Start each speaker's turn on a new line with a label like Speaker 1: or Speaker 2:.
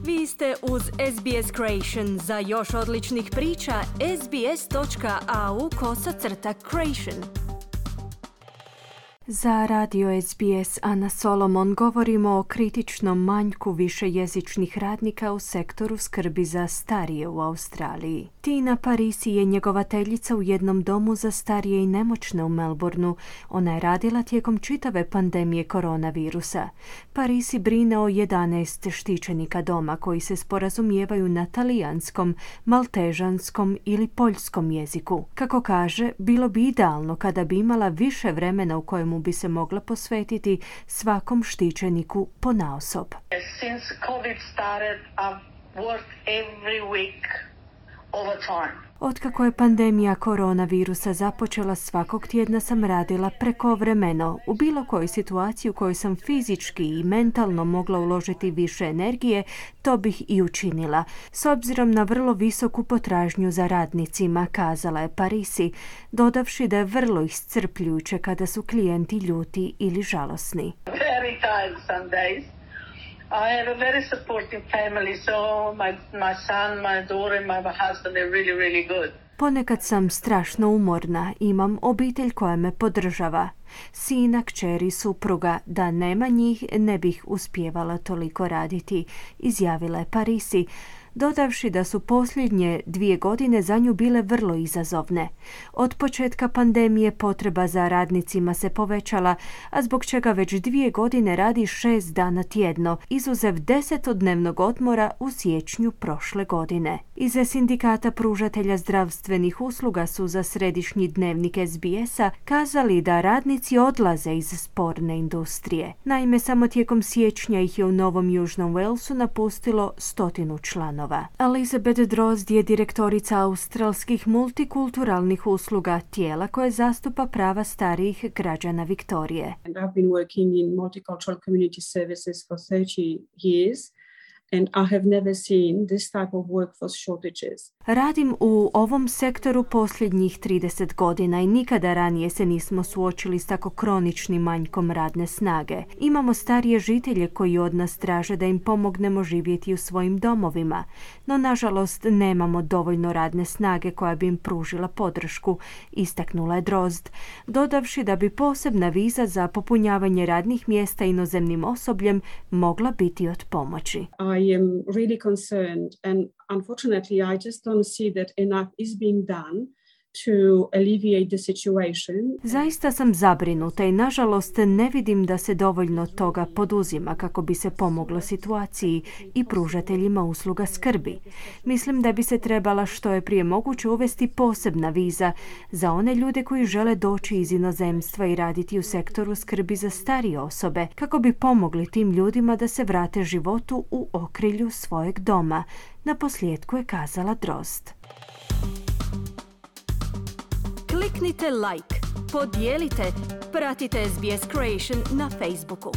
Speaker 1: Vi ste uz SBS Creation. Za još odličnih priča, sbs.au/creation. Za radio SBS Ana Solomon govorimo o kritičnom manjku višejezičnih radnika u sektoru skrbi za starije u Australiji. Tina Parisi je njegovateljica u jednom domu za starije i nemoćne u Melbourneu. Ona je radila tijekom čitave pandemije koronavirusa. Parisi brine o 11 štićenika doma koji se sporazumijevaju na talijanskom, maltežanskom ili poljskom jeziku. Kako kaže, bilo bi idealno kada bi imala više vremena u kojemu bi se mogla posvetiti svakom štićeniku ponaosob.
Speaker 2: Since COVID started, I've worked every week overtime.
Speaker 1: Otkako je pandemija koronavirusa započela, svakog tjedna sam radila prekovremeno. U bilo kojoj situaciji u kojoj sam fizički i mentalno mogla uložiti više energije, to bih i učinila. S obzirom na vrlo visoku potražnju za radnicima, kazala je Parisi, dodavši da je vrlo iscrpljujuće kada su klijenti ljuti ili žalosni.
Speaker 2: Very tired some days. I have a very supportive family, so my son, my daughter, my husband are really, really good.
Speaker 1: Ponekad sam strašno umorna, imam obitelj koja me podržava. Sina, kćeri, supruga, da nema njih ne bih uspijevala toliko raditi, izjavila je Parisi, dodavši da su posljednje 2 godine za nju bile vrlo izazovne. Od početka pandemije potreba za radnicima se povećala, a zbog čega već 2 godine radi 6 dana tjedno, izuzev 10-dnevnog odmora u siječnju prošle godine. Iz sindikata pružatelja zdravstvenih usluga su za središnji dnevnik SBS-a kazali da radnici odlaze iz sporne industrije. Naime, samo tijekom siječnja ih je u Novom Južnom Walesu napustilo 100 članova. Elizabeth Drozd je direktorica australskih multikulturalnih usluga, tijela koje zastupa prava starijih građana Viktorije.
Speaker 3: I've been working in multicultural community services for 30 years. And I have never seen this type of workforce shortages.
Speaker 1: Radim u ovom sektoru posljednjih 30 godina i nikada ranije se nismo suočili s tako kroničnim manjkom radne snage. Imamo starije žitelje koji od nas traže da im pomognemo živjeti u svojim domovima, no nažalost nemamo dovoljno radne snage koja bi im pružila podršku, istaknula je Drozd, dodavši da bi posebna viza za popunjavanje radnih mjesta inozemnim osobljem mogla biti od pomoći.
Speaker 3: I am really concerned, and unfortunately I just don't see that enough is being done to alleviate the situation.
Speaker 1: Zaista sam zabrinuta i nažalost ne vidim da se dovoljno toga poduzima kako bi se pomoglo situaciji i pružateljima usluga skrbi. Mislim da bi se trebala što je prije moguće uvesti posebna viza za one ljude koji žele doći iz inozemstva i raditi u sektoru skrbi za starije osobe, kako bi pomogli tim ljudima da se vrate životu u okrilju svojeg doma. Naposljetku je kazala Drozd. Kliknite like, podijelite, pratite SBS Creation na Facebooku.